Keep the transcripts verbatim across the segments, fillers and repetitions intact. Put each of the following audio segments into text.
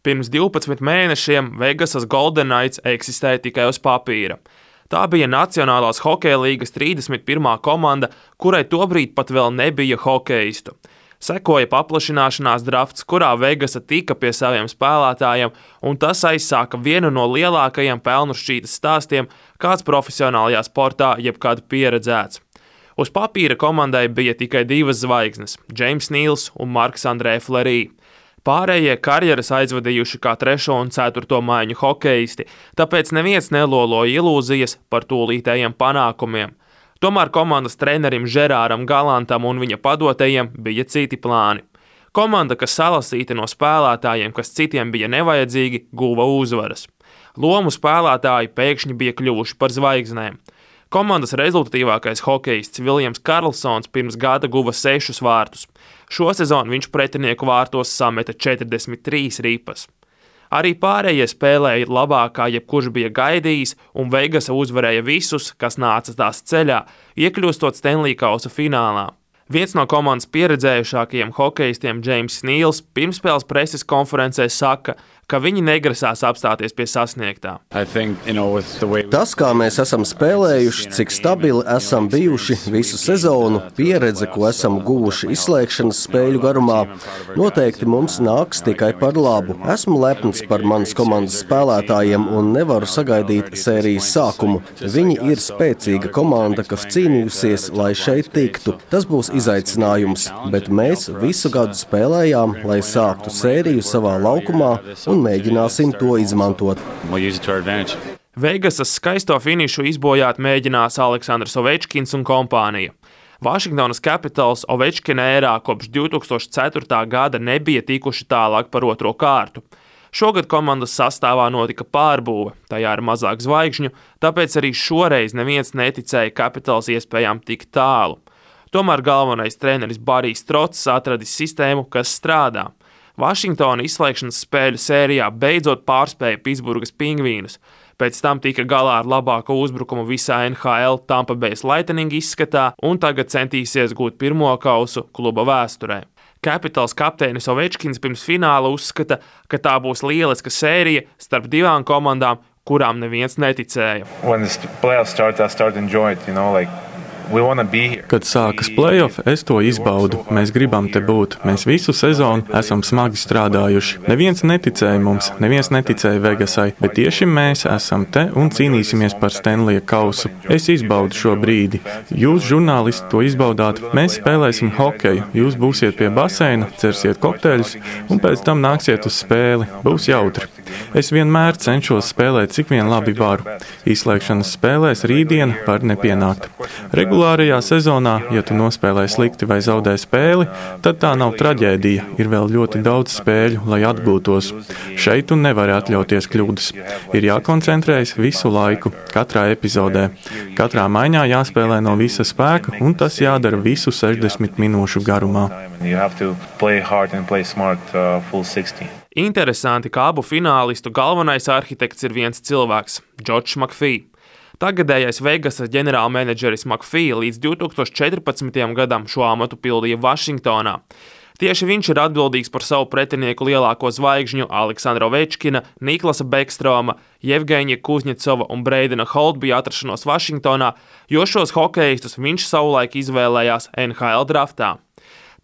Pirms divpadsmit mēnešiem Vegasas Golden Knights eksistēja tikai uz papīra. Tā bija Nacionālās hokeja līgas trīsdesmit pirmā komanda, kurai tobrīd pat vēl nebija hokeistu. Sekoja paplašināšanās drafts, kurā Vegasa tika pie saviem spēlētājiem, un tas aizsāka vienu no lielākajiem pelnu šķītas stāstiem, kāds profesionālajā sportā jebkad pieredzēts. Uz papīra komandai bija tikai divas zvaigznes – James Neals un Marks Andrē Fleury. Pārējie karjeras aizvadījuši kā trešo un ceturto maiņu hokeisti, tāpēc neviens neloloja ilūzijas par tūlītējiem panākumiem. Tomēr komandas trenerim Žerāram Galantam un viņa padotajiem bija citi plāni. Komanda, kas salasīta no spēlētājiem, kas citiem bija nevajadzīgi, guva uzvaras. Lomu spēlētāji pēkšņi bija kļuvuši par zvaigznēm. Komandas rezultatīvākais hokejists Viljams Karlsons pirms gada guva sešus vārtus. Šo sezonu viņš pretinieku vārtos sameta četrdesmit trīs ripas. Arī pārējie spēlēja labāk, kā jebkurš bija gaidījis, un Vegasa uzvarēja visus, kas nāca tās ceļā, iekļūstot Stanley Kausa finālā. Viens no komandas pieredzējušākajiem hokejistiem James Neals pirmspēles preses konferencē saka, ka viņi negrasās apstāties pie sasniegtā. Think, you know, way... Tas, kā mēs esam spēlējuši, cik stabili esam bijuši visu sezonu, pieredze, ko esam guvuši izslēgšanas spēļu garumā, noteikti mums nāks tikai par labu. Esmu lepns par manas komandas spēlētājiem un nevaru sagaidīt sērijas sākumu. Viņi ir spēcīga komanda, kas cīnījusies, lai šeit tiktu. Tas būs izaicinājums, bet mēs visu gadu spēlējām, lai sāktu sēriju savā laukumā un mēģināsim to izmantot. Vegasas skaisto finišu izbojāt mēģinās Aleksandrs Ovečkins un kompānija. Washingtonas Capitals Ovečkina ērā kopš divi tūkstoši ceturtā gada nebija tikuši tālāk par otro kārtu. Šogad komandas sastāvā notika pārbūve, tajā ir mazāk zvaigžņu, tāpēc arī šoreiz neviens neticēja Capitals iespējām tik tālu. Tomēr galvenais treneris Barijs Trots atradis sistēmu, kas strādā. Vašingtona izslēgšanas spēļu sērijā beidzot pārspēja Pitsburgas Pingvīnus. Pēc tam tika galā ar labāko uzbrukumu visā N H L Tampa Bay Lightning izskatā un tagad centīsies gūt pirmo kausu kluba vēsturē. Capitals kapteinis Ovečkins pirms fināla uzskata, ka tā būs lieliska sērija starp divām komandām, kurām neviens neticēja. Kad sākas play-off, es to izbaudu. Mēs gribam te būt. Mēs visu sezonu esam smagi strādājuši. Neviens neticēja mums, neviens neticēja Vegasai, bet tieši mēs esam te un cīnīsimies par Stanley kausu. Es izbaudu šo brīdi. Jūs, žurnālisti, to izbaudāt. Mēs spēlēsim hokeju. Jūs būsiet pie baseina, cersiet kokteļus un pēc tam nāksiet uz spēli. Būs jautri. Es vienmēr cenšos spēlēt, cik vien labi varu. Izslēgšanas spēlēs rītdien var nepienākt. Regulārajā sezonā, ja tu nospēlē slikti vai zaudē spēli, tad tā nav traģēdija. Ir vēl ļoti daudz spēļu, lai atgūtos. Šeit tu nevari atļauties kļūdas. Ir jākoncentrējas visu laiku, katrā epizodē. Katrā maiņā jāspēlē no visa spēka, un tas jādara visu sešdesmit minūšu garumā. Interesanti, ka abu finālistu galvenais arhitekts ir viens cilvēks – Džordžs Makfī. Tagadējais Vegasas ģenerālmenedžeris Makfī līdz divi tūkstoši četrpadsmitajam gadam šo amatu pildīja Vašingtonā. Tieši viņš ir atbildīgs par savu pretinieku lielāko zvaigžņu Aleksandra Ovečkina, Niklasa Bekstroma, Jevgeņija Kuzņecova un Breidena Holtbija atrašanos Vašingtonā, jo šos hokejistus viņš savulaik izvēlējās N H L draftā.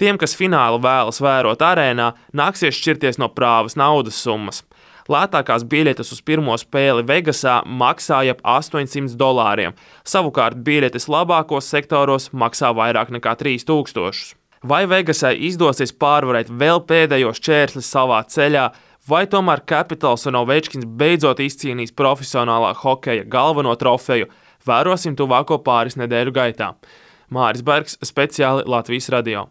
Tiem, kas finālu vēlas vērot arēnā, nāksies šķirties no prāvas naudas summas. Lētākās biļetes uz pirmo spēli Vegasā maksāja ap astoņsimt dolāriem, savukārt biļetes labākos sektoros maksā vairāk nekā trīs tūkstošus. Vai Vegasai izdosies pārvarēt vēl pēdējos šķērslis savā ceļā, vai tomēr Capitals un Ovečkins beidzot izcīnīs profesionālā hokeja galveno trofeju, vērosim tuvāko pāris nedēļu gaitā. Māris Bergs, speciāli Latvijas radio.